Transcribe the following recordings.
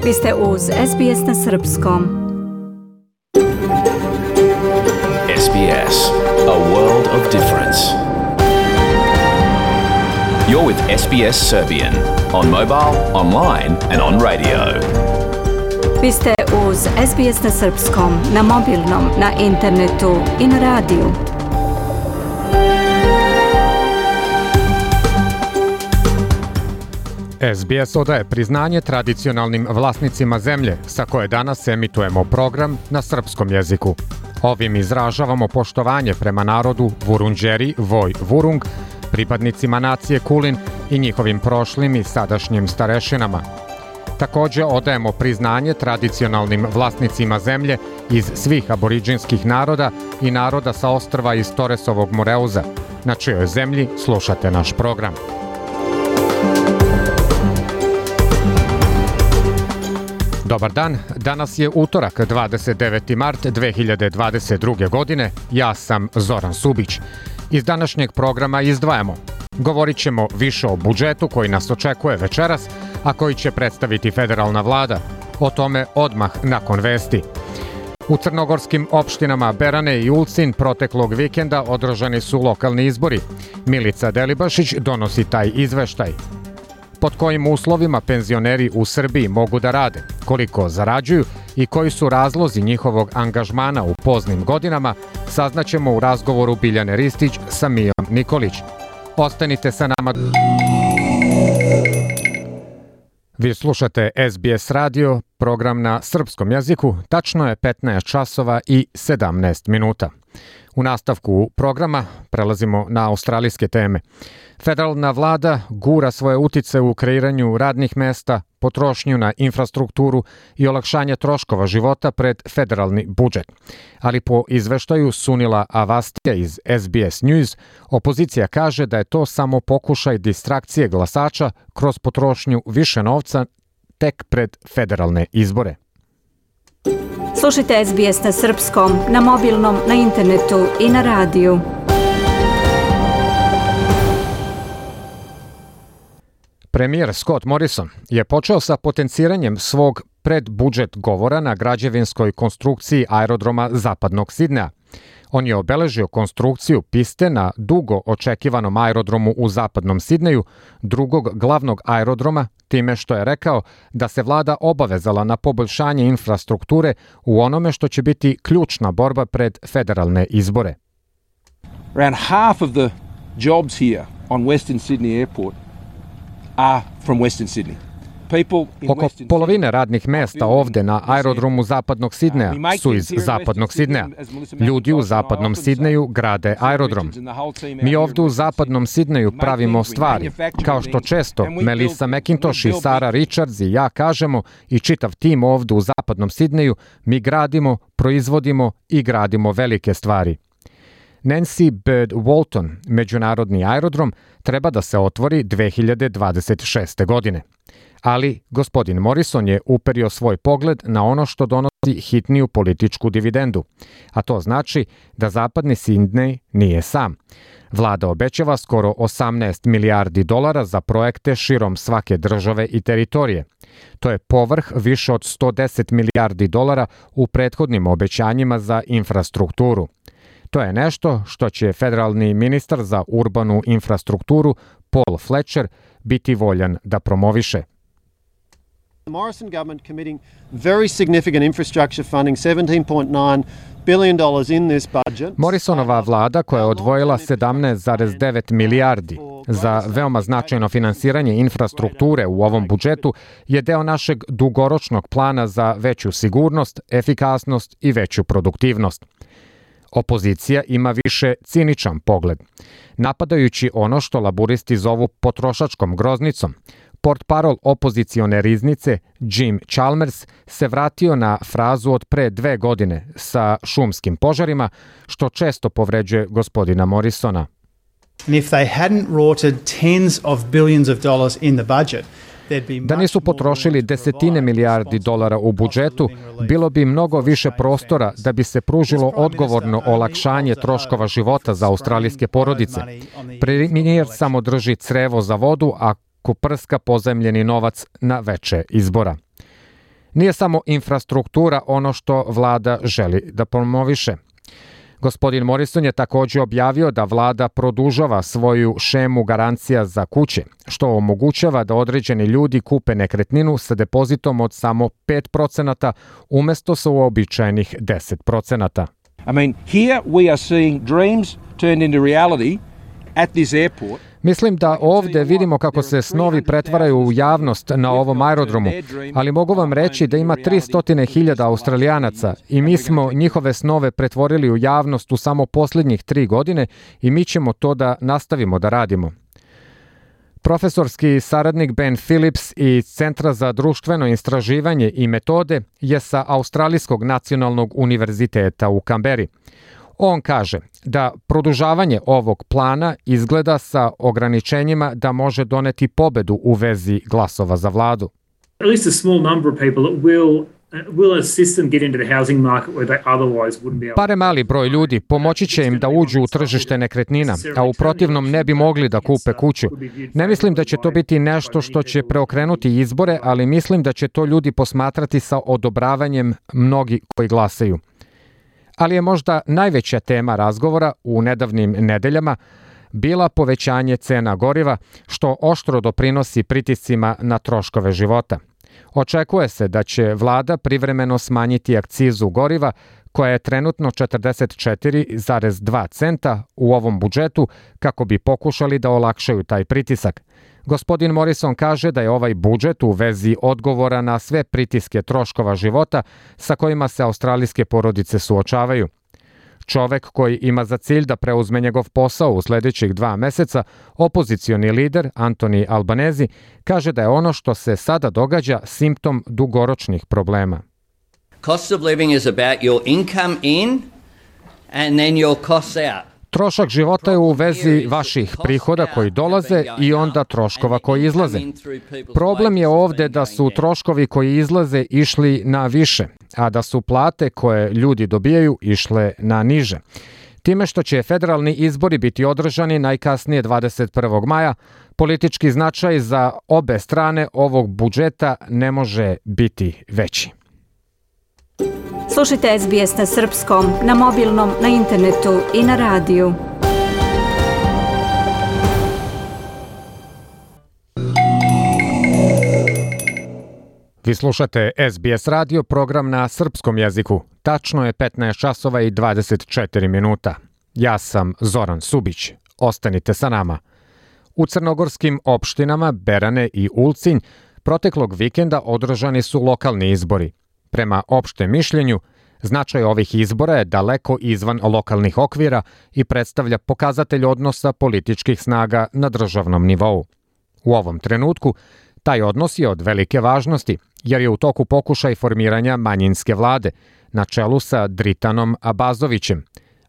Vi ste uz SBS na Srpskom. SBS, a world of difference. You're with SBS Serbian on mobile, online and on radio. Vi ste uz SBS na Srpskom, na mobilnom, na internetu i na radiju. SBS odaje priznanje tradicionalnim vlasnicima zemlje sa koje danas emitujemo program na srpskom jeziku. Ovim izražavamo poštovanje prema narodu Vurundjeri, Voj Vurung, pripadnicima nacije Kulin i njihovim prošlim i sadašnjim starešinama. Također odajemo priznanje tradicionalnim vlasnicima zemlje iz svih aboriđinskih naroda i naroda sa ostrva iz Toresovog Moreuza, na čijoj zemlji slušate naš program. Dobar dan, danas je utorak, 29. mart 2022. godine. Ja sam Zoran Subić. Iz današnjeg programa izdvajamo. Govorit ćemo više o budžetu koji nas očekuje večeras, a koji će predstaviti federalna vlada. O tome odmah nakon vesti. U crnogorskim opštinama Berane i Ulcin proteklog vikenda održani su lokalni izbori. Milica Delibašić donosi taj izveštaj. Pod kojim uslovima penzioneri u Srbiji mogu da rade, koliko zarađuju i koji su razlozi njihovog angažmana u poznim godinama, saznaćemo u razgovoru Biljane Ristić sa Mijom Nikolić. Ostanite sa nama. Vi slušate SBS radio, program na srpskom jeziku, tačno je 15 časova i 17 minuta. U nastavku programa prelazimo na australijske teme. Federalna vlada gura svoje utice u kreiranju radnih mesta, potrošnju na infrastrukturu i olakšanje troškova života pred federalni budžet. Ali po izveštaju Sunila Avastija iz SBS News, opozicija kaže da je to samo pokušaj distrakcije glasača kroz potrošnju više novca tek pred federalne izbore. Slušajte SBS na Srpskom, na mobilnom, na internetu i na radiju. Premijer Scott Morrison je počeo sa potenciranjem svog predbudžet govora na građevinskoj konstrukciji aerodroma Zapadnog Sidneja. On je obeležio konstrukciju piste na dugo očekivanom aerodromu u Zapadnom Sidneju, drugog glavnog aerodroma, time što je rekao da se vlada obavezala na poboljšanje infrastrukture u onome što će biti ključna borba pred federalne izbore. Around half of the jobs here on Western Sydney Airport are from Western Sydney. Oko polovine radnih mesta ovde na aerodromu Zapadnog Sidneja su iz Zapadnog Sidneja. Ljudi u Zapadnom Sidneju grade aerodrom. Mi ovde u Zapadnom Sidneju pravimo stvari, kao što često Melissa McIntosh i Sarah Richards i ja kažemo i čitav tim ovde u Zapadnom Sidneju, mi gradimo, proizvodimo i gradimo velike stvari. Nancy Bird Walton, međunarodni aerodrom, treba da se otvori 2026. godine. Ali gospodin Morrison je uperio svoj pogled na ono što donosi hitniju političku dividendu, a to znači da Zapadni Sidnej nije sam. Vlada obećava skoro 18 milijardi dolara za projekte širom svake države i teritorije. To je povrh više od 110 milijardi dolara u prethodnim obećanjima za infrastrukturu. To je nešto što će federalni ministar za urbanu infrastrukturu Paul Fletcher biti voljan da promoviše. The Morrison government committing very significant infrastructure funding, $17.9 billion in this budget. Morrisonova vlada koja je odvojila 17,9 milijardi za veoma značajno finansiranje infrastrukture u ovom budžetu je deo našeg dugoročnog plana za veću sigurnost, efikasnost i veću produktivnost. Opozicija ima više ciničan pogled. Napadajući ono što laburisti zovu potrošačkom groznicom, portparol opozicione riznice Jim Chalmers se vratio na frazu od pre 2 godine sa šumskim požarima, što često povređuje gospodina Morrisona. And if they hadn't rorted tens of billions of dollars in the budget, Da nisu potrošili desetine milijardi dolara u budžetu, bilo bi mnogo više prostora da bi se pružilo odgovorno olakšanje troškova života za australijske porodice. Premijer samo drži crevo za vodu, a prska pozajmljeni novac na veče izbora. Nije samo infrastruktura ono što vlada želi da promoviše. Gospodin Morrison je također objavio da vlada produžava svoju šemu garancija za kuće, što omogućava da određeni ljudi kupe nekretninu sa depozitom od samo 5% umjesto sa uobičajenih 10%. I mean, here we are seeing dreams turned into reality at this airport. Mislim da ovdje vidimo kako se snovi pretvaraju u javnost na ovom aerodromu, ali mogu vam reći da ima 300.000 Australijanaca i mi smo njihove snove pretvorili u javnost u samo posljednjih 3 godine i mi ćemo to da nastavimo da radimo. Profesorski saradnik Ben Phillips iz Centra za društveno istraživanje i metode je sa Australijskog nacionalnog univerziteta u Kamberi. On kaže da produžavanje ovog plana izgleda sa ograničenjima da može doneti pobedu u vezi glasova za vladu. At least a small number of people will assist them get into the housing market where they otherwise wouldn't be able. Bare mali broj ljudi pomoći će im da uđu u tržište nekretnina, a u protivnom ne bi mogli da kupe kuću. Ne mislim da će to biti nešto što će preokrenuti izbore, ali mislim da će to ljudi posmatrati sa odobravanjem mnogi koji glasaju. Ali je možda najveća tema razgovora u nedavnim nedeljama bila povećanje cena goriva, što oštro doprinosi pritiscima na troškove života. Očekuje se da će vlada privremeno smanjiti akcizu goriva, koja je trenutno 44,2 centa u ovom budžetu, kako bi pokušali da olakšaju taj pritisak. Gospodin Morrison kaže da je ovaj budžet u vezi odgovora na sve pritiske troškova života sa kojima se australijske porodice suočavaju. Čovek koji ima za cilj da preuzme njegov posao u sljedećih 2 meseca, opozicioni lider Anthony Albanese, kaže da je ono što se sada događa simptom dugoročnih problema. Cost of living is about your income in and then your costs out. Trošak života je u vezi vaših prihoda koji dolaze i onda troškova koji izlaze. Problem je ovdje da su troškovi koji izlaze išli na više, a da su plate koje ljudi dobijaju išle na niže. Time što će federalni izbori biti održani najkasnije 21. maja, politički značaj za obe strane ovog budžeta ne može biti veći. Slušajte SBS na srpskom, na mobilnom, na internetu i na radiju. Vi slušate SBS radio, program na srpskom jeziku. Tačno je 15 časova i 24 minuta. Ja sam Zoran Subić. Ostanite sa nama. U crnogorskim opštinama Berane i Ulcinj proteklog vikenda održani su lokalni izbori. Prema opštem mišljenju, značaj ovih izbora je daleko izvan lokalnih okvira i predstavlja pokazatelj odnosa političkih snaga na državnom nivou. U ovom trenutku, taj odnos je od velike važnosti, jer je u toku pokušaj formiranja manjinske vlade, na čelu sa Dritanom Abazovićem,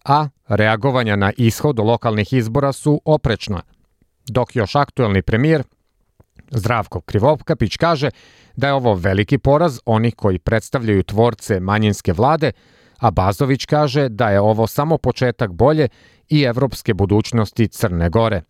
a reagovanja na ishod lokalnih izbora su oprečna. Dok još aktuelni premijer Zdravko Krivokapić kaže da je ovo veliki poraz onih koji predstavljaju tvorce manjinske vlade, a Bazović kaže da je ovo samo početak bolje i evropske budućnosti Crne Gore.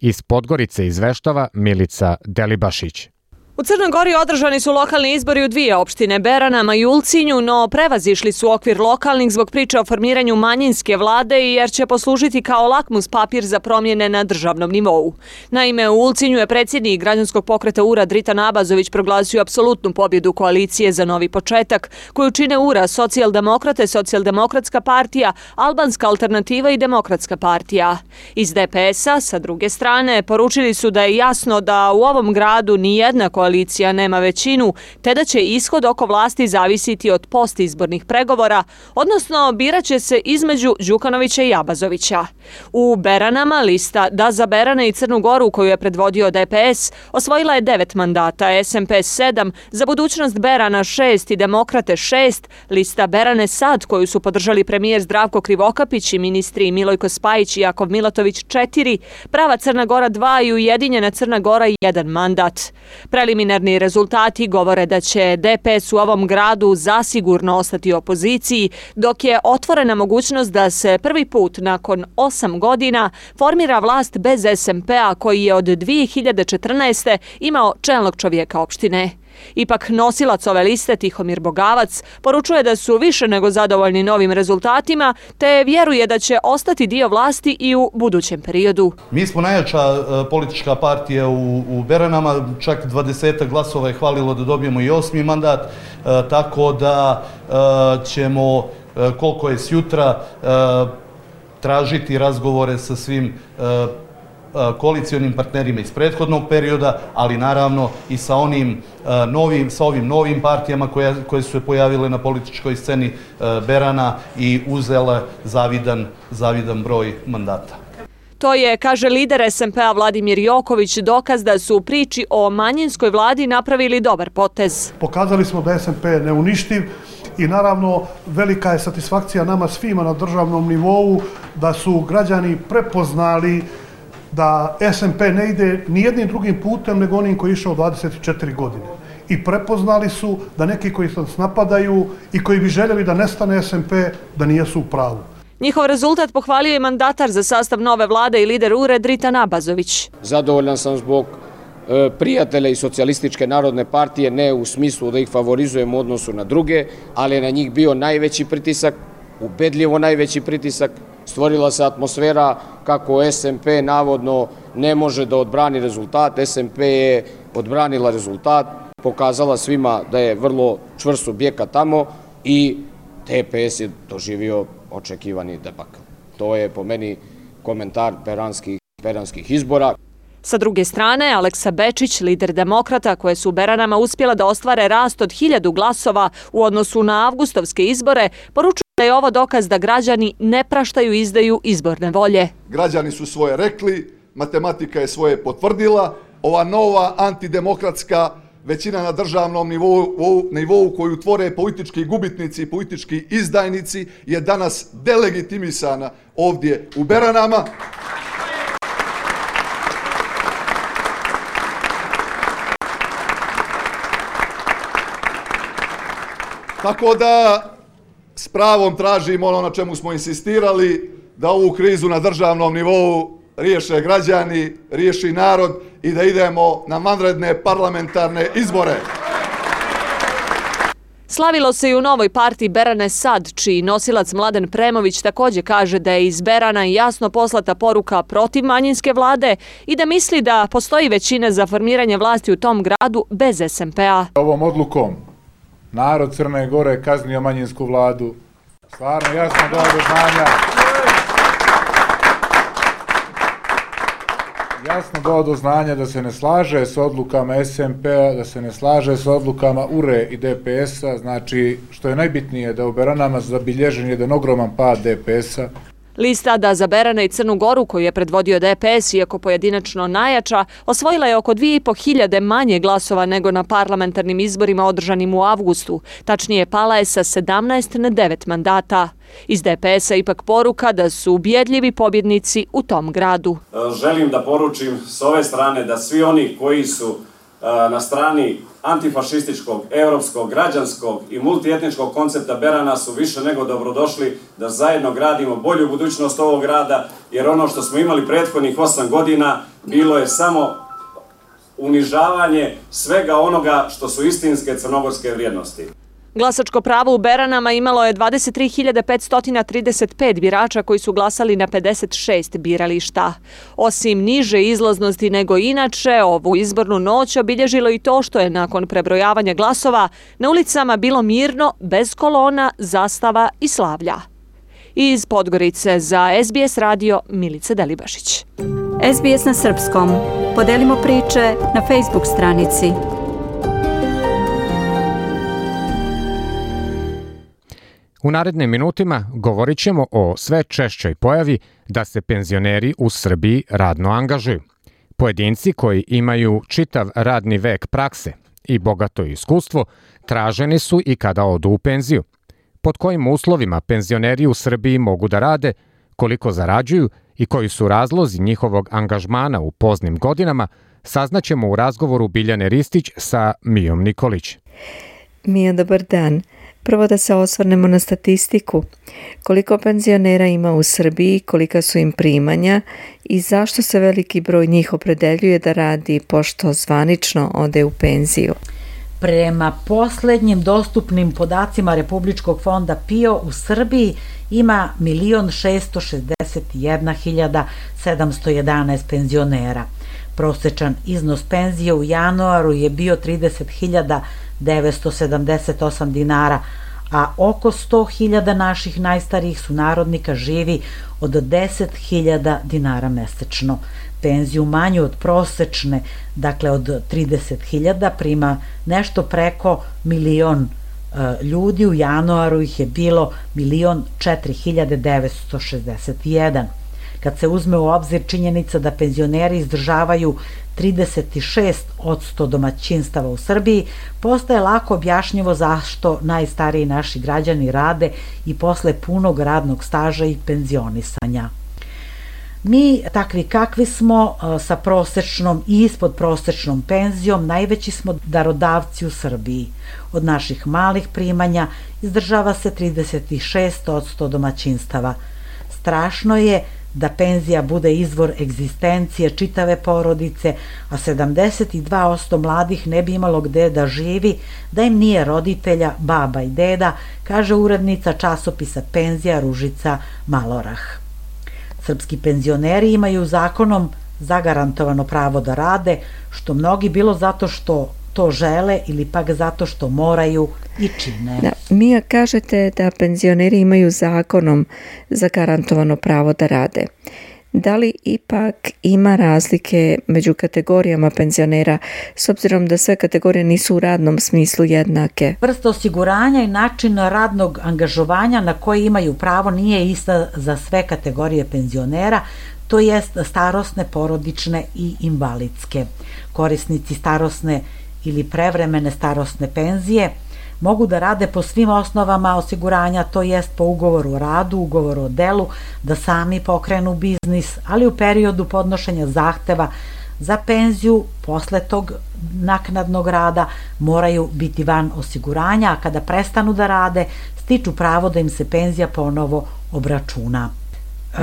Iz Podgorice izveštava Milica Delibašić. U Crnoj Gori održani su lokalni izbori u 2 opštine, Beranama i Ulcinju, no prevazišli su okvir lokalnih zbog priče o formiranju manjinske vlade i jer će poslužiti kao lakmus papir za promjene na državnom nivou. Naime, u Ulcinju je predsjednik građanskog pokreta URA Dritan Abazović proglasio apsolutnu pobjedu koalicije za novi početak, koju čine URA, Socijaldemokrate, Socijaldemokratska partija, Albanska alternativa i Demokratska partija. Iz DPS-a, sa druge strane, poručili su da je jasno da u ovom gradu nijedna koalicija nema većinu, te da će ishod oko vlasti zavisiti od postizbornih pregovora, odnosno birat će se između Đukanovića i Abazovića. U Beranama lista Da za Berane i Crnu Goru, koju je predvodio DPS, osvojila je 9 mandata, SMP 7, Za budućnost Berana 6 i Demokrate 6, lista Berane Sad, koju su podržali premijer Zdravko Krivokapić i ministri Milojko Spajić i Jakov Milatović 4, Prava Crna Gora 2 i Ujedinjena Crna Gora 1 mandat. Preliminarni rezultati govore da će DPS u ovom gradu zasigurno ostati u opoziciji, dok je otvorena mogućnost da se prvi put nakon 8 godina formira vlast bez SMP-a koji je od 2014. imao čelnog čovjeka opštine. Ipak nosilac ove liste Tihomir Bogavac poručuje da su više nego zadovoljni novim rezultatima, te vjeruje da će ostati dio vlasti i u budućem periodu. Mi smo najjača politička partija u Beranama, čak 20 glasova je hvalilo da dobijemo i 8. mandat, tako da ćemo, koliko je sjutra, tražiti razgovore sa svim koalicionim partnerima iz prethodnog perioda, ali naravno i sa ovim novim partijama koje su se pojavile na političkoj sceni Berana i uzele zavidan broj mandata. To je, kaže lider SMP-a Vladimir Joković, dokaz da su u priči o manjinskoj vladi napravili dobar potez. Pokazali smo da SMP je neuništiv i naravno velika je satisfakcija nama svima na državnom nivou da su građani prepoznali da SMP ne ide ni jednim drugim putem nego onim koji je išao 24 godine. I prepoznali su da neki koji nas napadaju i koji bi željeli da nestane SMP, da nijesu u pravu. Njihov rezultat pohvalio je mandatar za sastav nove vlade i lider URED Dritan Abazović. Zadovoljan sam zbog prijatelja iz Socijalističke narodne partije, ne u smislu da ih favorizujem u odnosu na druge, ali je na njih bio najveći pritisak, ubedljivo najveći pritisak. Stvorila se atmosfera kako SMP navodno ne može da odbrani rezultat. SMP je odbranila rezultat, pokazala svima da je vrlo čvrst subjekat tamo i DPS je doživio očekivani debakl. To je po meni komentar beranskih izbora. Sa druge strane, Aleksa Bečić, lider demokrata koje su u Beranama uspjela da ostvare rast od 1000 glasova u odnosu na avgustovske izbore, poručuje da je ovo dokaz da građani ne praštaju izdaju izborne volje. Građani su svoje rekli, matematika je svoje potvrdila, ova nova antidemokratska većina na državnom nivou koju tvore politički gubitnici i politički izdajnici je danas delegitimisana ovdje u Beranama. Tako da s pravom tražimo ono na čemu smo insistirali, da ovu krizu na državnom nivou riješe građani, riješi narod i da idemo na vanredne parlamentarne izbore. Slavilo se i u novoj partiji Berane Sad, čiji nosilac Mladen Premović također kaže da je iz Berana jasno poslata poruka protiv manjinske vlade i da misli da postoji većina za formiranje vlasti u tom gradu bez SMP-a. Ovom odlukom narod Crne Gore kaznio manjinsku vladu. Stvarno jasno dao do znanja. Jasno dao do znanja da se ne slaže s odlukama SMP-a, da se ne slaže s odlukama URE i DPS-a. Znači, što je najbitnije, da u Beranama zabilježen jedan ogroman pad DPS-a. Lista Da za Berane i Crnu Goru, koju je predvodio DPS, iako pojedinačno najjača, osvojila je oko 2500 manje glasova nego na parlamentarnim izborima održanim u avgustu. Tačnije, pala je sa 17 na 9 mandata. Iz DPS-a ipak poruka da su ubjedljivi pobjednici u tom gradu. Želim da poručim s ove strane da svi oni koji su na strani antifašističkog, europskog, građanskog i multietničkog koncepta Berana su više nego dobrodošli da zajedno gradimo bolju budućnost ovog grada, jer ono što smo imali prethodnih 8 godina bilo je samo unižavanje svega onoga što su istinske crnogorske vrijednosti. Glasačko pravo u Beranama imalo je 23.535 birača koji su glasali na 56 birališta. Osim niže izlaznosti nego inače, ovu izbornu noć obilježilo i to što je nakon prebrojavanja glasova na ulicama bilo mirno, bez kolona, zastava i slavlja. Iz Podgorice za SBS radio Milica Delibašić. SBS na srpskom. Podelimo priče na Facebook stranici. U narednim minutima govorit ćemo o sve češćoj pojavi da se penzioneri u Srbiji radno angažuju. Pojedinci koji imaju čitav radni vek prakse i bogato iskustvo traženi su i kada odu u penziju. Pod kojim uslovima penzioneri u Srbiji mogu da rade, koliko zarađuju i koji su razlozi njihovog angažmana u poznim godinama, saznaćemo u razgovoru Biljane Ristić sa Mijom Nikolić. Mija, dobar dan. Prvo da se osvrnemo na statistiku. Koliko penzionera ima u Srbiji, kolika su im primanja i zašto se veliki broj njih opredeljuje da radi pošto zvanično ode u penziju? Prema poslednjim dostupnim podacima Republičkog fonda PIO u Srbiji ima 1.661.711 penzionera. Prosečan iznos penzije u januaru je bio 30.978 dinara, a oko 100.000 naših najstarijih sunarodnika živi od 10.000 dinara mesečno. Penziju manju od prosečne, dakle od 30.000, prima nešto preko 1.000.000 ljudi, u januaru ih je bilo 1.004.961. Kad se uzme u obzir činjenica da penzioneri izdržavaju 36% domaćinstava u Srbiji, postaje lako objašnjivo zašto najstariji naši građani rade i posle punog radnog staža i penzionisanja. Mi, takvi kakvi smo, sa prosečnom i ispod prosečnom penzijom, najveći smo darodavci u Srbiji. Od naših malih primanja izdržava se 36% domaćinstava. Strašno je da penzija bude izvor egzistencije čitave porodice, a 72% mladih ne bi imalo gde da živi da im nije roditelja, baba i deda, kaže urednica časopisa Penzija Ružica Malorah. Srpski penzioneri imaju zakonom zagarantovano pravo da rade, što mnogi bilo zato što to žele ili pak zato što moraju i čine. Da, Mija, kažete da penzioneri imaju zakonom zagarantovano pravo da rade. Da li ipak ima razlike među kategorijama penzionera, s obzirom da sve kategorije nisu u radnom smislu jednake? Vrsta osiguranja i način radnog angažovanja na koji imaju pravo nije ista za sve kategorije penzionera, to jest starosne, porodične i invalidske. Korisnici starosne ili prevremene starosne penzije mogu da rade po svim osnovama osiguranja, to jest po ugovoru o radu, ugovoru o delu, da sami pokrenu biznis, ali u periodu podnošenja zahteva za penziju posle tog naknadnog rada moraju biti van osiguranja, a kada prestanu da rade, stiču pravo da im se penzija ponovo obračuna.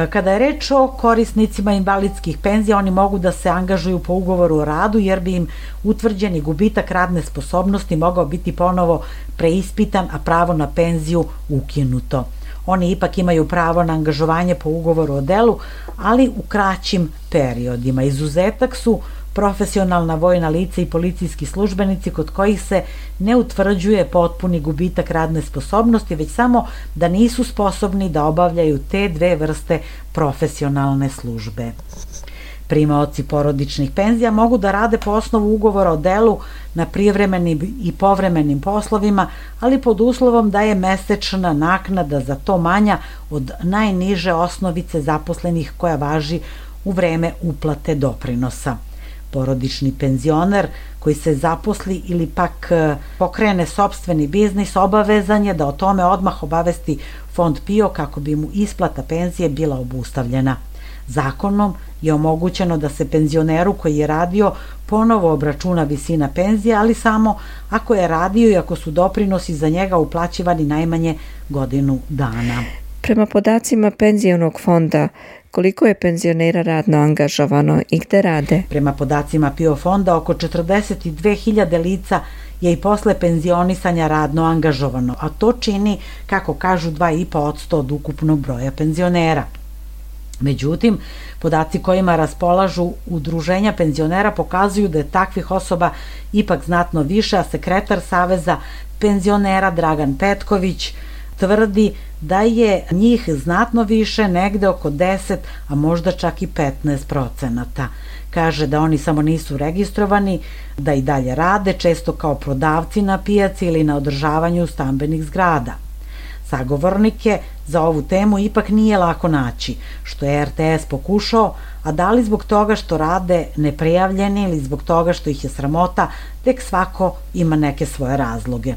Kada je reč o korisnicima invalidskih penzija, oni mogu da se angažuju po ugovoru o radu jer bi im utvrđeni gubitak radne sposobnosti mogao biti ponovo preispitan, a pravo na penziju ukinuto. Oni ipak imaju pravo na angažovanje po ugovoru o delu, ali u kraćim periodima. Izuzetak su profesionalna vojna lica i policijski službenici kod kojih se ne utvrđuje potpuni gubitak radne sposobnosti, već samo da nisu sposobni da obavljaju te dve vrste profesionalne službe. Primaoci porodičnih penzija mogu da rade po osnovu ugovora o delu na privremenim i povremenim poslovima, ali pod uslovom da je mesečna naknada za to manja od najniže osnovice zaposlenih koja važi u vreme uplate doprinosa. Porodični penzioner koji se zaposli ili pak pokrene sopstveni biznis obavezan je da o tome odmah obavesti fond PIO kako bi mu isplata penzije bila obustavljena. Zakonom je omogućeno da se penzioneru koji je radio ponovo obračuna visina penzije, ali samo ako je radio i ako su doprinosi za njega uplaćivani najmanje godinu dana. Prema podacima penzionog fonda, koliko je penzionera radno angažovano i gde rade? Prema podacima PIO fonda, oko 42.000 lica je i posle penzionisanja radno angažovano, a to čini, kako kažu, 2,5% od ukupnog broja penzionera. Međutim, podaci kojima raspolažu udruženja penzionera pokazuju da je takvih osoba ipak znatno više, a sekretar Saveza penzionera Dragan Petković tvrdi da je njih znatno više, negde oko 10, a možda čak i 15%. Kaže da oni samo nisu registrovani, da i dalje rade, često kao prodavci na pijaci ili na održavanju stambenih zgrada. Sagovornike za ovu temu ipak nije lako naći, što je RTS pokušao, a da li zbog toga što rade neprijavljeni ili zbog toga što ih je sramota, tek svako ima neke svoje razloge.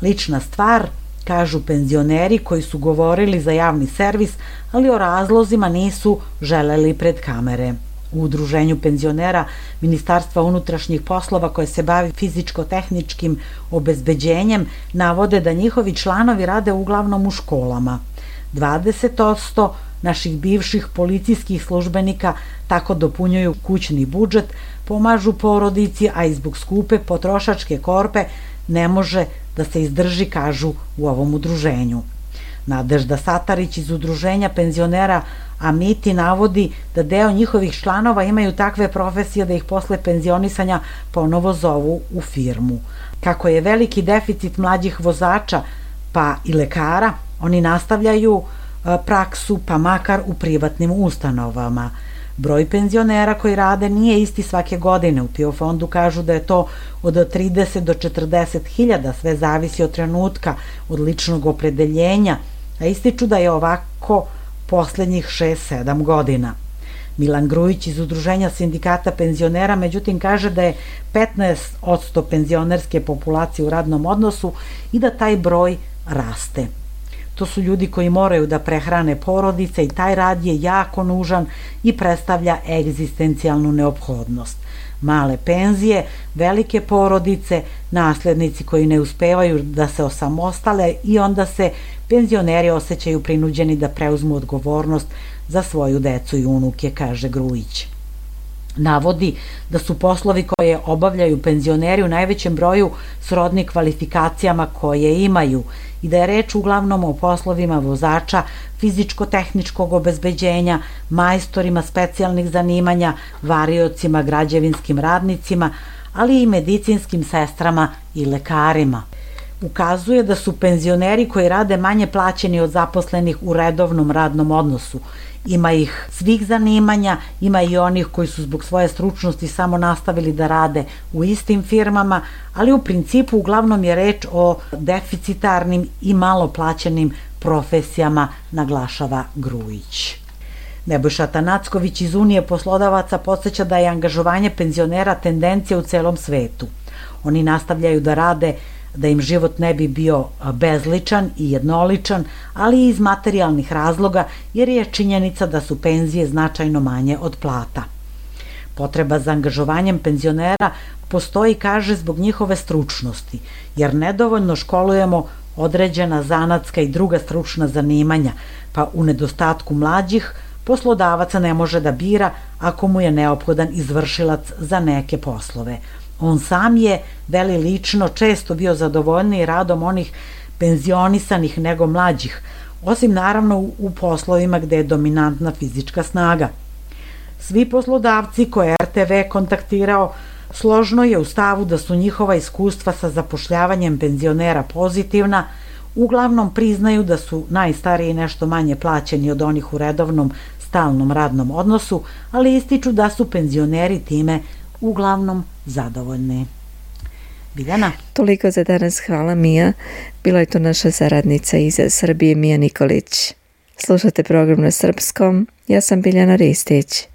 Lična stvar, kažu penzioneri koji su govorili za javni servis, ali o razlozima nisu želeli pred kamere. U udruženju penzionera Ministarstva unutrašnjih poslova koje se bavi fizičko-tehničkim obezbeđenjem navode da njihovi članovi rade uglavnom u školama. 20% naših bivših policijskih službenika tako dopunjuju kućni budžet, pomažu porodici, a i zbog skupe potrošačke korpe ne može da se izdrži, kažu u ovom udruženju. Nadežda Satarić iz udruženja penzionera Amiti navodi da deo njihovih članova imaju takve profesije da ih posle penzionisanja ponovo zovu u firmu. Kako je veliki deficit mlađih vozača pa i lekara, oni nastavljaju praksu pa makar u privatnim ustanovama. Broj penzionera koji rade nije isti svake godine. U PIO fondu kažu da je to od 30 do 40 hiljada, sve zavisi od trenutka, od ličnog opredeljenja, a ističu da je ovako poslednjih 6-7 godina. Milan Grujić iz Udruženja sindikata penzionera međutim kaže da je 15% penzionerske populacije u radnom odnosu i da taj broj raste. To su ljudi koji moraju da prehrane porodice i taj rad je jako nužan i predstavlja egzistencijalnu neophodnost. Male penzije, velike porodice, naslednici koji ne uspevaju da se osamostale i onda se penzioneri osjećaju prinuđeni da preuzmu odgovornost za svoju decu i unuke, kaže Grujić. Navodi da su poslovi koje obavljaju penzioneri u najvećem broju srodni kvalifikacijama koje imaju i da je reč uglavnom o poslovima vozača, fizičko-tehničkog obezbeđenja, majstorima specijalnih zanimanja, variocima, građevinskim radnicima, ali i medicinskim sestrama i lekarima. Ukazuje da su penzioneri koji rade manje plaćeni od zaposlenih u redovnom radnom odnosu. Ima ih svih zanimanja, ima i onih koji su zbog svoje stručnosti samo nastavili da rade u istim firmama, ali u principu uglavnom je reč o deficitarnim i malo plaćenim profesijama, naglašava Grujić. Nebojša Tanacković iz Unije poslodavaca podsjeća da je angažovanje penzionera tendencija u celom svetu. Oni nastavljaju da rade da im život ne bi bio bezličan i jednoličan, ali i iz materijalnih razloga, jer je činjenica da su penzije značajno manje od plata. Potreba za angažovanjem penzionera postoji, kaže, zbog njihove stručnosti, jer nedovoljno školujemo određena zanatska i druga stručna zanimanja, pa u nedostatku mlađih poslodavaca ne može da bira ako mu je neophodan izvršilac za neke poslove. On sam je, veli lično, često bio zadovoljniji radom onih penzionisanih nego mlađih, osim naravno u poslovima gde je dominantna fizička snaga. Svi poslodavci koje RTV kontaktirao složno je u stavu da su njihova iskustva sa zapošljavanjem penzionera pozitivna, uglavnom priznaju da su najstariji nešto manje plaćeni od onih u redovnom stalnom radnom odnosu, ali ističu da su penzioneri time uglavnom zadovoljni. Biljana? Toliko za danas, hvala Mija. Bila je to naša saradnica iz Srbije, Mija Nikolić. Slušate program na srpskom, ja sam Biljana Ristić.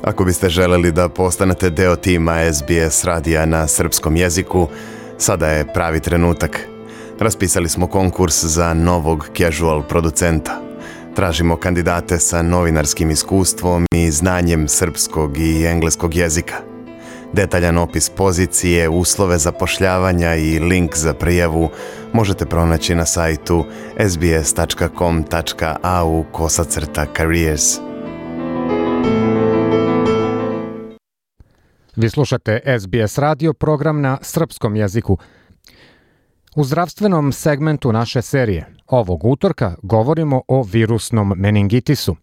Ako biste želeli da postanete deo tima SBS radija na srpskom jeziku, sada je pravi trenutak. Raspisali smo konkurs za novog casual producenta. Tražimo kandidate sa novinarskim iskustvom i znanjem srpskog i engleskog jezika. Detaljan opis pozicije, uslove zapošljavanja i link za prijavu možete pronaći na sajtu sbs.com.au/careers. Vi slušate SBS radio, program na srpskom jeziku. U zdravstvenom segmentu naše serije ovog utorka govorimo o virusnom meningitisu.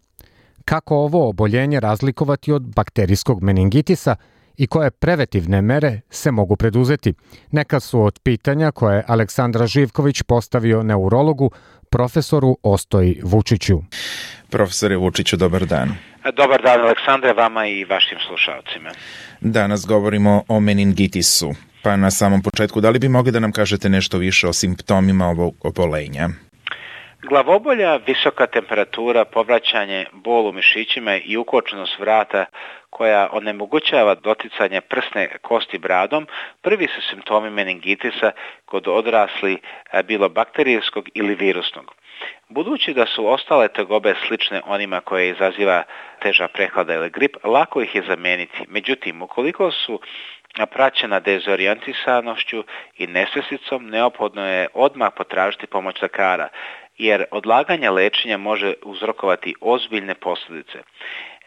Kako ovo oboljenje razlikovati od bakterijskog meningitisa i koje preventivne mere se mogu preduzeti? Neka su od pitanja koje Aleksandra Živković postavio neurologu profesoru Ostoji Vučiću. Profesore Vučiću, dobar dan. Dobar dan, Aleksandre, vama i vašim slušalcima. Danas govorimo o meningitisu. Pa na samom početku, da li bi mogli da nam kažete nešto više o simptomima ovog obolenja? Glavobolja, visoka temperatura, povraćanje, bol u mišićima i ukočenost vrata koja onemogućava doticanje prsne kosti bradom, prvi su simptomi meningitisa kod odrasli, bilo bakterijskog ili virusnog. Budući da su ostale tegobe slične onima koje izaziva teža prehlada ili grip, lako ih je zameniti. Međutim, ukoliko su praćena dezorijentisanošću i nesvjesticom, neophodno je odmah potražiti pomoć lekara, jer odlaganje lečenja može uzrokovati ozbiljne posljedice.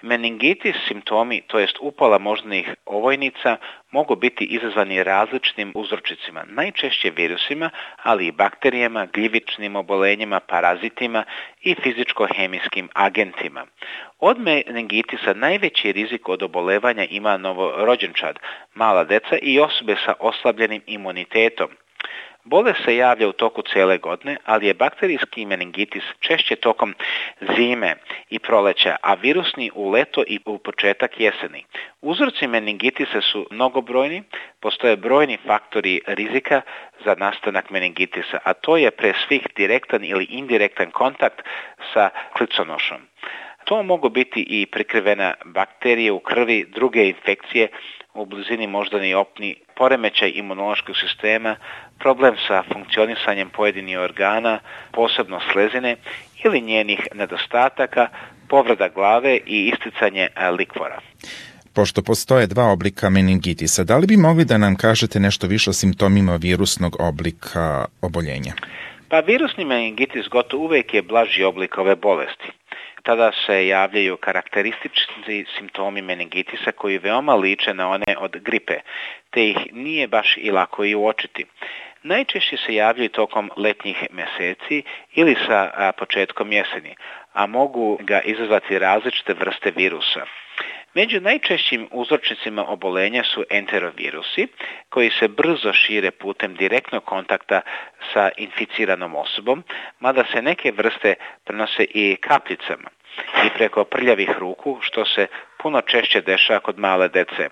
Meningitis simptomi, to jest upala moždanih ovojnica, mogu biti izazvani različitim uzročicima, najčešće virusima, ali i bakterijama, gljivičnim obolenjima, parazitima i fizičko-hemijskim agentima. Od meningitisa najveći rizik od obolevanja ima novorođenčad, mala deca i osobe sa oslabljenim imunitetom. Bolest se javlja u toku cijele godine, ali je bakterijski meningitis češće tokom zime i proleća, a virusni u leto i u početak jeseni. Uzroci meningitisa su mnogobrojni, postoje brojni faktori rizika za nastanak meningitisa, a to je pre svih direktan ili indirektan kontakt sa kliconošom. To mogu biti i prikrivena bakterije u krvi, druge infekcije u blizini moždani opni, poremećaj imunološkog sistema, problem sa funkcionisanjem pojedinih organa, posebno slezine ili njenih nedostataka, povreda glave i isticanje likvora. Pošto postoje dva oblika meningitisa, da li bi mogli da nam kažete nešto više o simptomima virusnog oblika oboljenja? Pa virusni meningitis gotovo uvijek je blaži oblik ove bolesti. Tada se javljaju karakteristični simptomi meningitisa koji veoma liče na one od gripe, te ih nije baš i lako i uočiti. Najčešće se javljaju tokom letnjih mjeseci ili sa početkom jeseni, a mogu ga izazvati različite vrste virusa. Među najčešćim uzročnicima obolenja su enterovirusi, koji se brzo šire putem direktnog kontakta sa inficiranom osobom, mada se neke vrste prenose i kapljicama i preko prljavih ruku, što se puno češće dešava kod male dece.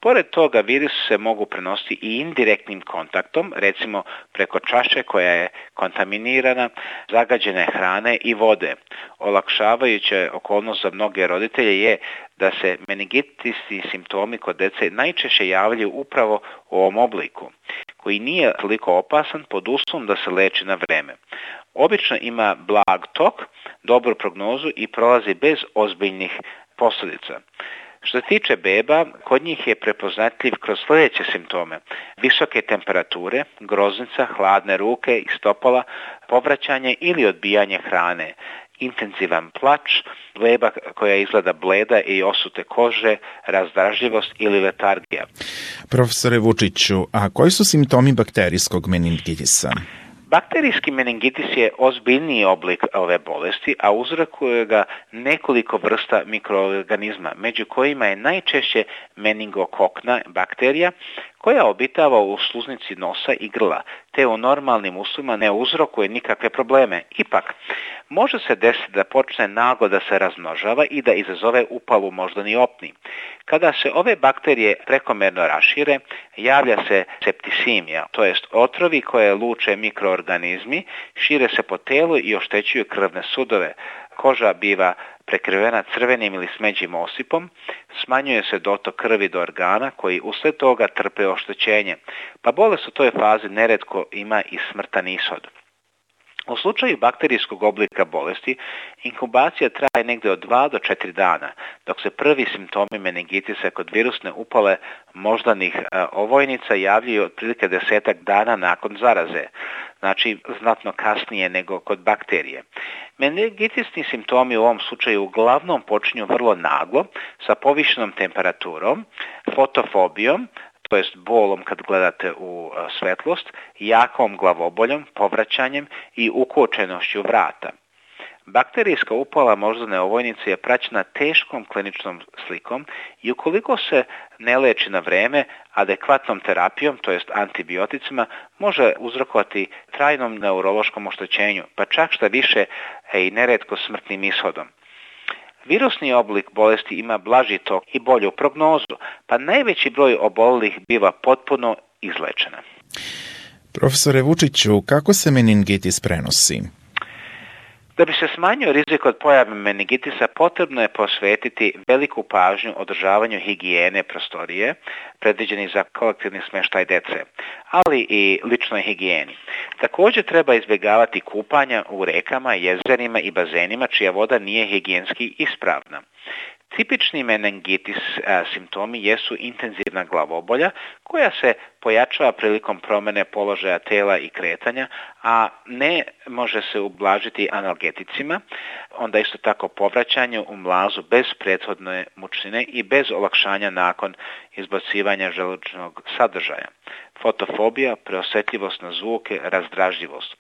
Pored toga, virus se mogu prenositi i indirektnim kontaktom, recimo preko čaše koja je kontaminirana, zagađene hrane i vode. Olakšavajuća okolnost za mnoge roditelje je da se meningitisni simptomi kod dece najčešće javljaju upravo u ovom obliku, koji nije toliko opasan pod uslovom da se leči na vreme. Obično ima blag tok, dobru prognozu i prolazi bez ozbiljnih posljedica. Što se tiče beba, kod njih je prepoznatljiv kroz sljedeće simptome: visoke temperature, groznica, hladne ruke i stopala, povraćanje ili odbijanje hrane, intenzivan plač, beba koja izgleda bleda i osute kože, razdražljivost ili letargija. Profesore Vučiću, a koji su simptomi bakterijskog meningitisa? Bakterijski meningitis je ozbiljniji oblik ove bolesti, a uzrokuje ga nekoliko vrsta mikroorganizma, među kojima je najčešće meningokokna bakterija, koja obitava u sluznici nosa i grla, te u normalnim uslovima ne uzrokuje nikakve probleme. Ipak, može se desiti da počne naglo da se razmnožava i da izazove upalu moždani opni. Kada se ove bakterije prekomerno rašire, javlja se septisimija, to jest otrovi koje luče mikroorganizmi, šire se po telu i oštećuju krvne sudove. Koža biva prekrivena crvenim ili smeđim osipom, smanjuje se dotok krvi do organa koji uslijed toga trpe oštećenje, pa bolest u toj fazi neretko ima i smrtan ishod. U slučaju bakterijskog oblika bolesti, inkubacija traje negdje od 2 do 4 dana, dok se prvi simptomi meningitisa kod virusne upale moždanih ovojnica javljaju otprilike 10 dana nakon zaraze, znači znatno kasnije nego kod bakterije. Meningitisni simptomi u ovom slučaju uglavnom počinju vrlo naglo, sa povišenom temperaturom, fotofobijom, to jest bolom kad gledate u svetlost, jakom glavoboljom, povraćanjem i ukočenošću vrata. Bakterijska upala moždane ovojnice je praćena teškom kliničnom slikom i ukoliko se ne leči na vreme, adekvatnom terapijom, to jest antibioticima, može uzrokovati trajnom neurološkom oštećenju, pa čak šta više i neretko smrtnim ishodom. Virusni oblik bolesti ima blaži tok i bolju prognozu, pa najveći broj obolelih biva potpuno izlečena. Profesore Vučiću, kako se meningitis prenosi? Da bi se smanjio rizik od pojave meningitisa, potrebno je posvetiti veliku pažnju održavanju higijene prostorije, predviđeni za kolektivni smještaj dece, ali i ličnoj higijeni. Također treba izbjegavati kupanja u rekama, jezerima i bazenima čija voda nije higijenski ispravna. Tipični meningitis simptomi jesu intenzivna glavobolja koja se pojačava prilikom promjene položaja tela i kretanja, a ne može se ublažiti analgeticima, onda isto tako povraćanje u mlazu bez prethodne mučnine i bez olakšanja nakon izbacivanja želučnog sadržaja. Fotofobija, preosjetljivost na zvuke, razdražljivost.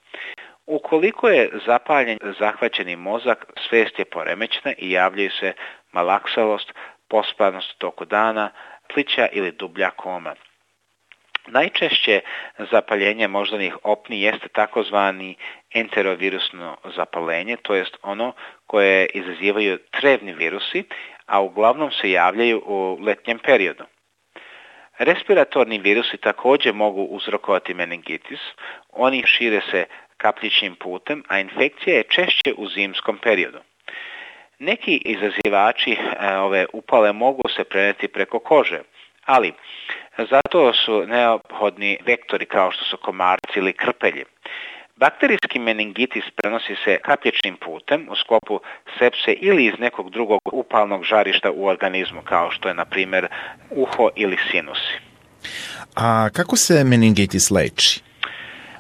Ukoliko je zapaljen zahvaćeni mozak, svijest je poremećena i javljaju se malaksalost, pospanost u toku dana, plića ili dublja koma. Najčešće zapaljenje moždanih opni jeste takozvani enterovirusno zapaljenje, to jest ono koje izazivaju trevni virusi, a uglavnom se javljaju u letnjem periodu. Respiratorni virusi također mogu uzrokovati meningitis, oni šire se kapljičnim putem, a infekcija je češće u zimskom periodu. Neki izazivači ove upale mogu se prenijeti preko kože, ali zato su neophodni vektori kao što su komarci ili krpelji. Bakterijski meningitis prenosi se kapljičnim putem u sklopu sepse ili iz nekog drugog upalnog žarišta u organizmu, kao što je, na primjer, uho ili sinusi. A kako se meningitis leči?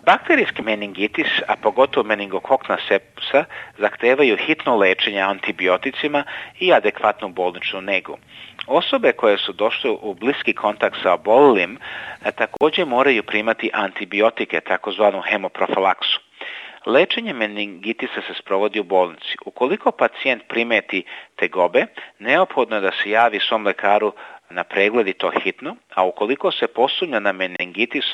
Bakterijski meningitis, a pogotovo meningokokna sepsa, zahtevaju hitno lečenje antibioticima i adekvatnu bolničnu negu. Osobe koje su došle u bliski kontakt sa oboljelim također moraju primati antibiotike, takozvanu hemoprofilaksu. Lečenje meningitisa se sprovodi u bolnici. Ukoliko pacijent primeti tegobe, neophodno je da se javi svom lekaru na pregled i to hitno, a ukoliko se posumnja na meningitis,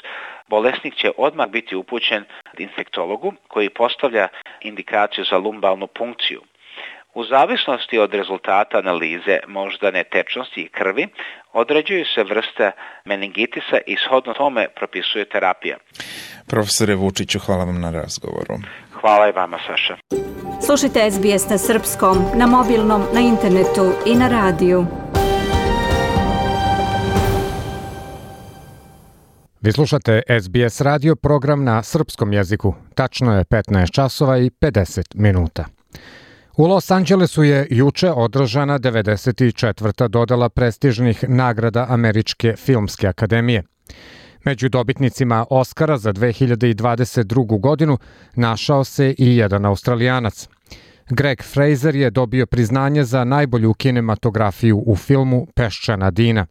bolesnik će odmah biti upućen infektologu koji postavlja indikaciju za lumbalnu punkciju. U zavisnosti od rezultata analize moždane tečnosti i krvi, određuju se vrste meningitisa i shodno tome propisuje terapija. Profesore Vučiću, hvala vam na razgovoru. Hvala i vama, Saša. Slušajte SBS na srpskom, na mobilnom, na internetu i na radiju. Vi slušate SBS radio program na srpskom jeziku. Tačno je 15 časova i 50 minuta. U Los Angelesu je juče održana 94. dodela prestižnih nagrada Američke filmske akademije. Među dobitnicima Oscara za 2022. godinu našao se i jedan Australijanac. Greg Fraser je dobio priznanje za najbolju kinematografiju u filmu Peščana Dina.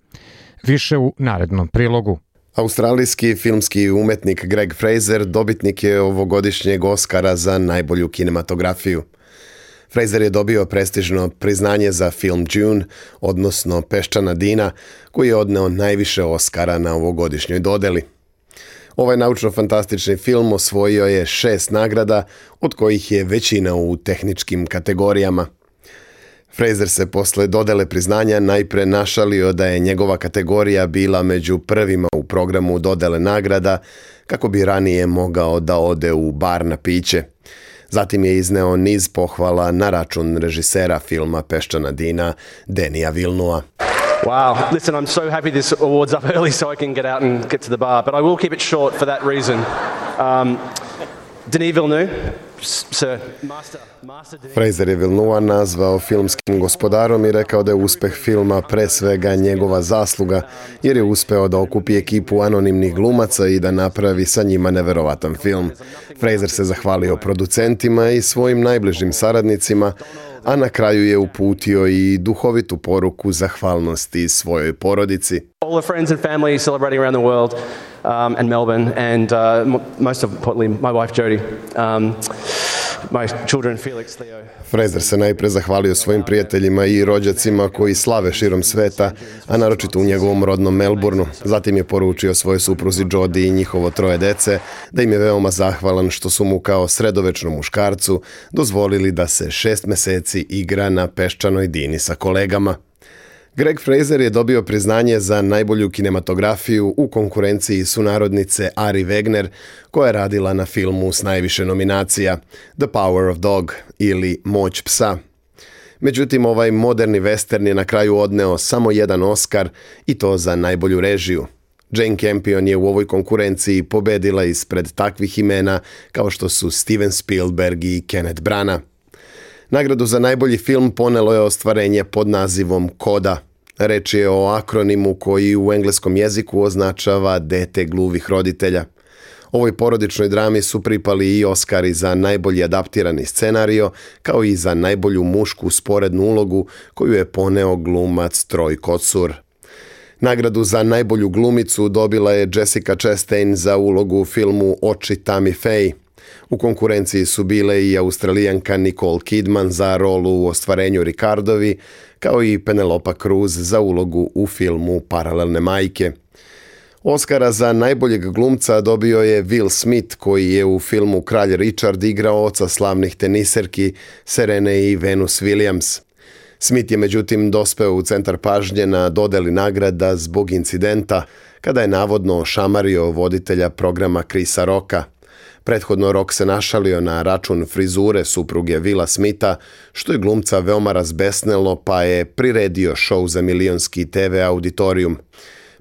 Više u narednom prilogu. Australijski filmski umetnik Greg Fraser dobitnik je ovogodišnjeg Oscara za najbolju kinematografiju. Fraser je dobio prestižno priznanje za film Dune, odnosno Peščana Dina, koji je odneo najviše Oscara na ovogodišnjoj dodeli. Ovaj naučno-fantastični film osvojio je 6 nagrada, od kojih je većina u tehničkim kategorijama. Fraser se posle dodele priznanja najpre našalio da je njegova kategorija bila među prvima u programu dodele nagrada, kako bi ranije mogao da ode u bar na piće. Zatim je izneo niz pohvala na račun režisera filma Peščana Dina, Denija Villeneuva. Wow, listen, I'm so happy this award's up early so I can get out and get to the bar, but I will keep it short for that reason. Denis Villeneuve, sir, master Fraser je Villeneuva nazvao filmskim gospodarom i rekao da je uspeh filma pre svega njegova zasluga, jer je uspeo da okupi ekipu anonimnih glumaca i da napravi sa njima neverovatan film. Fraser se zahvalio producentima i svojim najbližim saradnicima, a na kraju je uputio i duhovitu poruku zahvalnosti svojoj porodici. All the friends and family celebrating around the world and Melbourne and most importantly my wife Jodie. My children Felix, Theo. Fraser se najpre zahvalio svojim prijateljima i rođacima koji slave širom sveta, a naročito u njegovom rodnom Melbourneu. Zatim je poručio svojoj supruzi Jodie i njihovo 3 dece da im je veoma zahvalan što su mu kao sredovečnom muškarcu dozvolili da se 6 meseci igra na Peščanoj Dini sa kolegama. Greg Fraser je dobio priznanje za najbolju kinematografiju u konkurenciji sunarodnice Ari Wegner, koja je radila na filmu s najviše nominacija The Power of Dog ili Moć psa. Međutim, ovaj moderni western je na kraju odneo samo jedan Oscar i to za najbolju režiju. Jane Campion je u ovoj konkurenciji pobedila ispred takvih imena kao što su Steven Spielberg i Kenneth Branagh. Nagradu za najbolji film ponelo je ostvarenje pod nazivom Koda. Reč je o akronimu koji u engleskom jeziku označava dete gluvih roditelja. Ovoj porodičnoj drami su pripali i Oskari za najbolji adaptirani scenario, kao i za najbolju mušku sporednu ulogu koju je poneo glumac Troy Kotsur. Nagradu za najbolju glumicu dobila je Jessica Chastain za ulogu u filmu Oči Tammy Faye. U konkurenciji su bile i Australijanka Nicole Kidman za rolu u Ostvarenju Ricardovi, kao i Penelope Cruz za ulogu u filmu Paralelne majke. Oskara za najboljeg glumca dobio je Will Smith, koji je u filmu Kralj Richard igrao oca slavnih teniserki Serene i Venus Williams. Smith je međutim dospeo u centar pažnje na dodeli nagrada zbog incidenta kada je navodno ošamario voditelja programa Chrisa Rocka. Prethodno Rock se našalio na račun frizure supruge Willa Smitha, što je glumca veoma razbesnelo, pa je priredio šou za milionski TV auditorijum.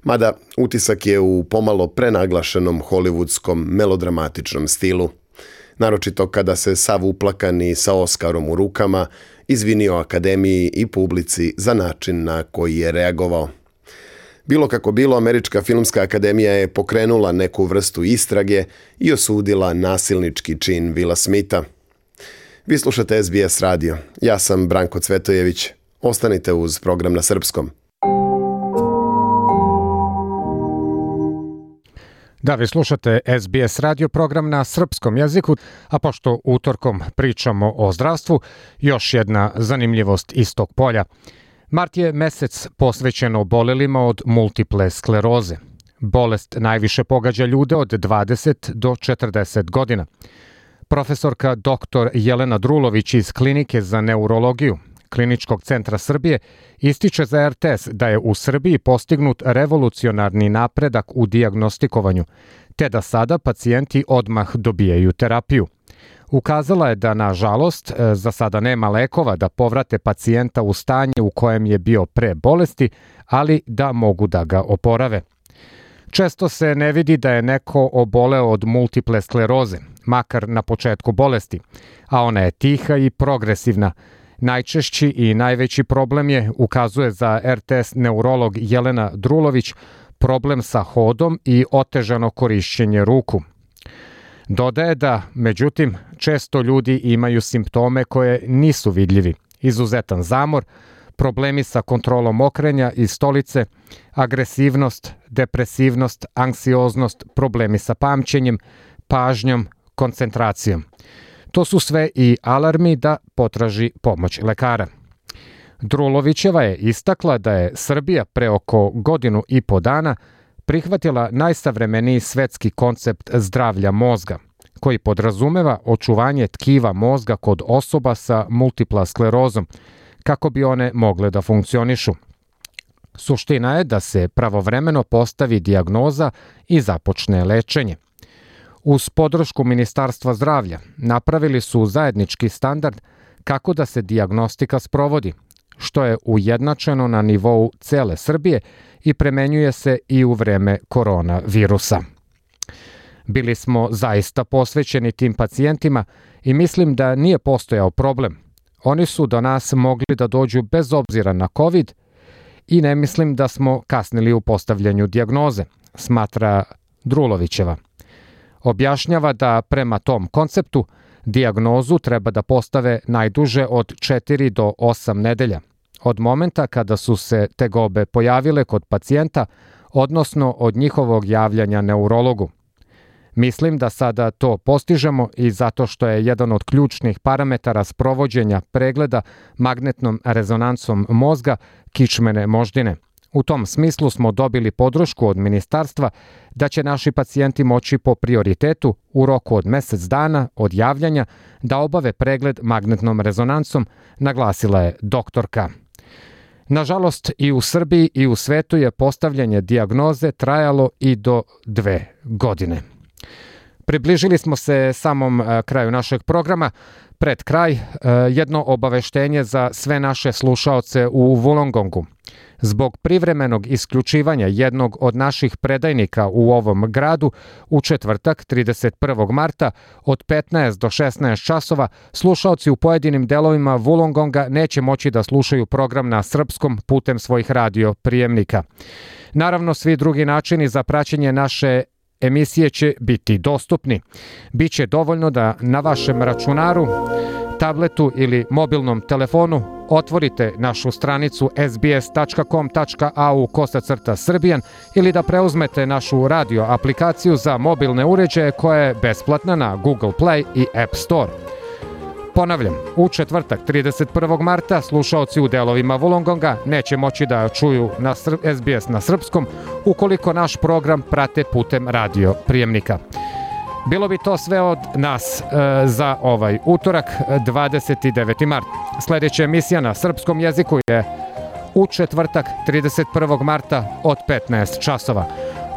Mada utisak je u pomalo prenaglašenom hollywoodskom melodramatičnom stilu. Naročito kada se sav uplakan i sa Oskarom u rukama izvinio akademiji i publici za način na koji je reagovao. Bilo kako bilo, Američka filmska akademija je pokrenula neku vrstu istrage i osudila nasilnički čin Willa Smitha. Vi slušate SBS radio. Ja sam Branko Cvetojević. Ostanite uz program na srpskom. Da, vi slušate SBS radio program na srpskom jeziku, a pošto utorkom pričamo o zdravstvu, još jedna zanimljivost iz tog polja. Mart je mesec posvećen obolelima od multiple skleroze. Bolest najviše pogađa ljude od 20 do 40 godina. Profesorka dr. Jelena Drulović iz Klinike za neurologiju Kliničkog centra Srbije ističe za RTS da je u Srbiji postignut revolucionarni napredak u dijagnostikovanju, te da sada pacijenti odmah dobijaju terapiju. Ukazala je da, nažalost, za sada nema lekova da povrate pacijenta u stanje u kojem je bio pre bolesti, ali da mogu da ga oporave. Često se ne vidi da je neko oboleo od multiple skleroze, makar na početku bolesti, a ona je tiha i progresivna. Najčešći i najveći problem je, ukazuje za RTS neurolog Jelena Drulović, problem sa hodom i otežano korišćenje ruku. Dodaje da, međutim, često ljudi imaju simptome koje nisu vidljivi. Izuzetan zamor, problemi sa kontrolom okrenja i stolice, agresivnost, depresivnost, anksioznost, problemi sa pamćenjem, pažnjom, koncentracijom. To su sve i alarmi da potraži pomoć lekara. Drulovićeva je istakla da je Srbija pre oko 1.5 godina prihvatila najsavremeniji svetski koncept zdravlja mozga, koji podrazumeva očuvanje tkiva mozga kod osoba sa multipla sklerozom, kako bi one mogle da funkcionišu. Suština je da se pravovremeno postavi dijagnoza i započne lečenje. Uz podršku Ministarstva zdravlja napravili su zajednički standard kako da se dijagnostika sprovodi, što je ujednačeno na nivou cele Srbije i premenjuje se i u vreme koronavirusa. Bili smo zaista posvećeni tim pacijentima i mislim da nije postojao problem. Oni su do nas mogli da dođu bez obzira na COVID i ne mislim da smo kasnili u postavljanju dijagnoze, smatra Drulovićeva. Objašnjava da prema tom konceptu dijagnozu treba da postave najduže od 4 do 8 nedelja, od momenta kada su se tegobe pojavile kod pacijenta, odnosno od njihovog javljanja neurologu. Mislim da sada to postižemo i zato što je jedan od ključnih parametara sprovođenja pregleda magnetnom rezonancom mozga kičmene moždine. U tom smislu smo dobili podršku od ministarstva da će naši pacijenti moći po prioritetu u roku od mesec dana od javljanja da obave pregled magnetnom rezonancom, naglasila je doktorka. Nažalost, i u Srbiji i u svetu je postavljanje dijagnoze trajalo i do 2 godine. Približili smo se samom kraju našeg programa. Pred kraj jedno obaveštenje za sve naše slušaoce u Wollongongu. Zbog privremenog isključivanja jednog od naših predajnika u ovom gradu, u četvrtak 31. marta od 15 do 16 časova slušaoci u pojedinim delovima Wollongonga neće moći da slušaju program na srpskom putem svojih radio prijemnika. Naravno, svi drugi načini za praćenje naše emisije će biti dostupni. Biće dovoljno da na vašem računaru, tabletu ili mobilnom telefonu otvorite našu stranicu sbs.com.au/srbijan ili da preuzmete našu radio aplikaciju za mobilne uređaje koja je besplatna na Google Play i App Store. Ponavljam, u četvrtak 31. marta slušaoci u delovima Wollongonga neće moći da čuju na SBS na srpskom ukoliko naš program prate putem radio prijemnika. Bilo bi to sve od nas za ovaj utorak, 29. mart. Sljedeća emisija na srpskom jeziku je u četvrtak 31. marta od 15 časova.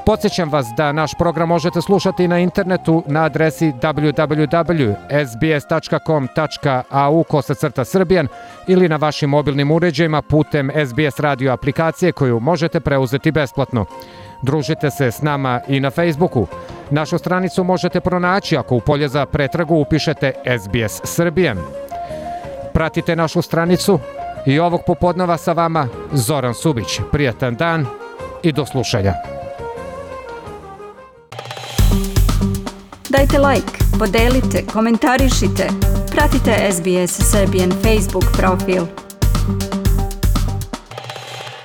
Podsjećam vas da naš program možete slušati na internetu na adresi www.sbs.com.au/srbijan ili na vašim mobilnim uređajima putem SBS radio aplikacije koju možete preuzeti besplatno. Družite se s nama i na Facebooku. Našu stranicu možete pronaći ako u polje za pretragu upišete SBS Srbijan. Pratite našu stranicu i ovog popodneva sa vama Zoran Subić. Prijatan dan i do slušanja. Dajte like, podelite, komentarišite. Pratite SBS Serbian Facebook profil.